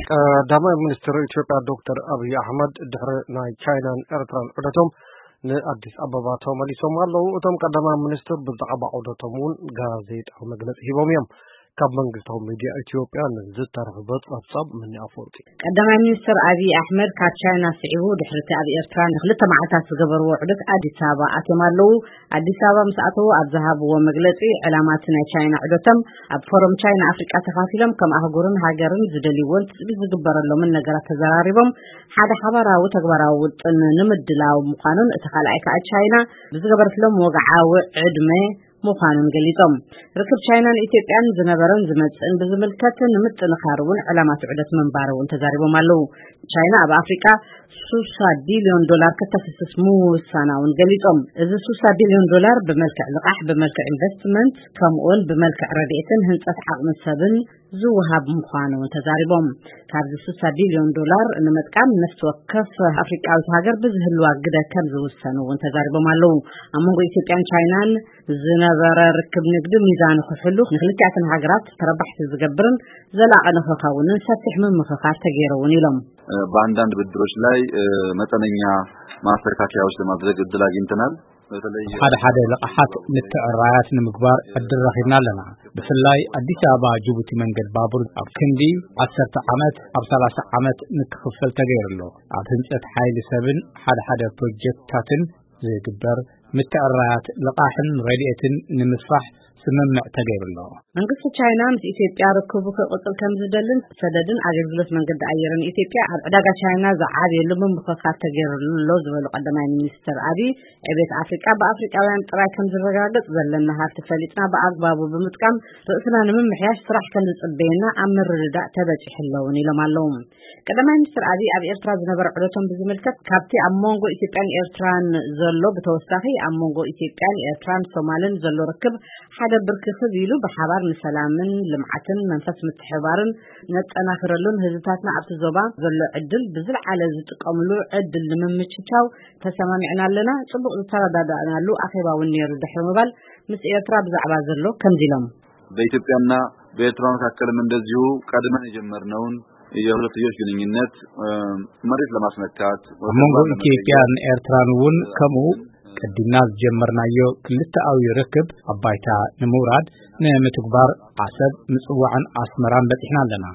ቀዳማይ ሚኒስትር ኢትዮጵያ ዶክተር ኣብይ ኣሕመድ ድሕሪ ናይ ቻይናን ኤርትራን ዑደቶም ንኣዲስ ኣበባ ተመሊሶም ኣለዉ። እቶም ቀዳማይ ሚኒስትር ብዛዕባ ዑደቶም እውን ጋዜጣዊ መግለጺ ሂቦም እዮም። ካብ መንግስታዊ ሚድያ ኢትዮጵያ ንዝተረኽበ ጸብጻብ ምኒ ኣፈወርቂ። ቀዳማይ ሚኒስትር ኣብይ ኣሕመድ ካብ ቻይና ስዒቡ ድሕሪ እቲ ኣብ ኤርትራ ንክልተ መዓልታት ዝገበርዎ ዑደት ኣዲስ ኣበባ ኣትዮም ኣለዉ። ኣዲስ ኣበባ ምስ ኣተዉ ኣብ ዝሃብዎ መግለጺ፣ ዕላማ እቲ ናይ ቻይና ዑደቶም ኣብ ፎረም ቻይና ኣፍሪቃ ተኻፊሎም ከም ኣህጉርን ሃገርን ዝደልይዎን ትጽቢት ዝግበረሎምን ነገራት ተዘራሪቦም ሓደ ሓባራዊ ተግባራዊ ውጥን ንምድላው ምዃኑን እቲ ካልኣይ ከኣ ቻይና ብዝገበረትሎም ወግዓዊ ዕድመ ምዃኑን ገሊጾም። ርክብ ቻይናን ኢትዮጵያን ዝነበረን ዝመጽእን ብዝምልከት ንምጥንኻር እውን ዕላማ እቲ ዑደት ምንባሩ እውን ተዛሪቦም ኣለዉ። ቻይና ኣብ ኣፍሪቃ ሱሳ ቢልዮን ዶላር ከተፍስስ ምውሳና እውን ገሊጾም። እዚ ሱሳ ቢልዮን ዶላር ብመልክዕ ልቓሕ፣ ብመልክዕ ኢንቨስትመንት፣ ከምኡውን ብመልክዕ ረድኤትን ህንጸት ዓቕሚ ሰብን ዝወሃብ ምዃኑ እውን ተዛሪቦም። ካብዚ ሱሳ ቢልዮን ዶላር ንምጥቃም ነፍሲ ወከፍ ኣፍሪቃዊት ሃገር ብዝህልዋ ግደ ከም ዝውሰኑ እውን ተዛሪቦም ኣለዉ። ኣብ መንጎ ኢትዮጵያን ቻይናን ዝነበረ ርክብ ንግዲ ሚዛኑ ክሕሉ፣ ንክልቲኣተን ሃገራት ተረባሕቲ ዝገብርን ዘላቒ ንክኸውንን ሰፊሕ ምምኽኻር ተገይሩ እውን ኢሎም። በአንዳንድ ብድሮች ላይ መጠነኛ ማስተካከያዎች ለማድረግ እድል አግኝተናል። በተለይ ሓደ ሓደ ልቓሓት ምትዕራያት ንምግባር ዕድል ረኺብና ኣለና። ብፍላይ ኣዲስ ኣበባ ጅቡቲ መንገድ ባቡር ኣብ ክንዲ ዓሰርተ ዓመት ኣብ ሰላሳ ዓመት ንክኽፈል ተገይሩ ኣሎ። ኣብ ህንጸት ሓይሊ ሰብን ሓደ ሓደ ፕሮጀክትታትን ዝግበር ምትዕራያት ልቓሕን ረድኤትን ንምስፋሕ ስምምዕ ተገይሩ ኣሎ። መንግስቲ ቻይና ምስ ኢትዮጵያ ርክቡ ክቕጽል ከም ዝደልን ሰደድን ኣገልግሎት መንገዲ ኣየርን ኢትዮጵያ ኣብ ዕዳጋ ቻይና ዝዓብየሉ ምምኽኻር ተገይሩ ኣሎ ዝበሉ ቀዳማይ ሚኒስትር ኣብይ፣ ዕቤት ኣፍሪቃ ብኣፍሪቃውያን ጥራይ ከም ዝረጋገጽ ዘለና ሃብቲ ፈሊጥና ብኣግባቡ ብምጥቃም ርእስና ንምምሕያሽ ስራሕ ከም ዝጽበየና ኣብ ምርድዳእ ተበጺሑ ኣለውን ኢሎም ኣለዉ። ቀዳማይ ሚኒስትር ኣብይ ኣብ ኤርትራ ዝነበረ ዑደቶም ብዝምልከት ካብቲ ኣብ መንጎ ኢትዮጵያን ኤርትራን ዘሎ ብተወሳኺ ኣብ መንጎ ኢትዮጵያን ኤርትራን ሶማልን ዘሎ ርክብ ሓደ ብርክኽብ ኢሉ ብሓባር ንሰላምን ልምዓትን መንፈስ ምትሕባርን ነጠናኽረሉን ህዝብታትና ኣብቲ ዞባ ዘሎ ዕድል ብዝለዓለ ዝጥቀምሉ ዕድል ንምምችቻው ተሰማሚዕና ኣለና። ጽቡቕ ዝተረዳዳእናሉ ኣኼባ እውን ነይሩ ድሕሪ ምባል ምስ ኤርትራ ብዛዕባ ዘሎ ከምዚ ኢሎም። በኢትዮጵያና በኤርትራ መካከልም እንደዚሁ ቀድመን የጀመርነውን የሁለትዮሽ ግንኙነት መሬት ለማስነካት ኣብ መንጎ ኢትዮጵያን ኤርትራን እውን ከምኡ ቀዲምና ዝጀመርናዮ ክልተኣዊ ርክብ ኣብ ባይታ ንምውራድ ንምትግባር ዓሰብ፣ ምጽዋዕን ኣስመራን በጺሕና ኣለና።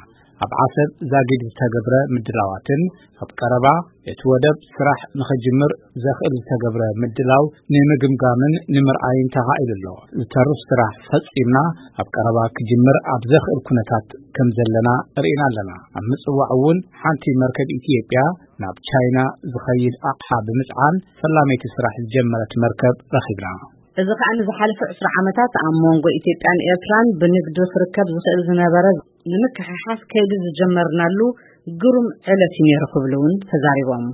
ኣብ ዓሰብ ዛጊድ ዝተገብረ ምድላዋትን ኣብ ቀረባ እቲ ወደብ ስራሕ ንኽጅምር ዘኽእል ዝተገብረ ምድላው ንምግምጋምን ንምርኣይን ተኻኢሉ ኣሎ። ዝተርፍ ስራሕ ፈጺምና ኣብ ቀረባ ክጅምር ኣብ ዘኽእል ኩነታት ከም ዘለና ርኢና ኣለና። ኣብ ምጽዋዕ እውን ሓንቲ መርከብ ኢትዮጵያ ናብ ቻይና ዝኸይድ ኣቕሓ ብምጽዓን ፈላመይቲ ስራሕ ዝጀመረት መርከብ ረኺብና። እዚ ከኣ ንዝሓለፈ ዕስራ ዓመታት ኣብ መንጎ ኢትዮጵያን ኤርትራን ብንግዲ ክርከብ ዝኽእል ዝነበረ ንምክሕሓስ ከይዲ ዝጀመርናሉ ግሩም ዕለት እዩ ነይሩ ክብሉ እውን ተዛሪቦም።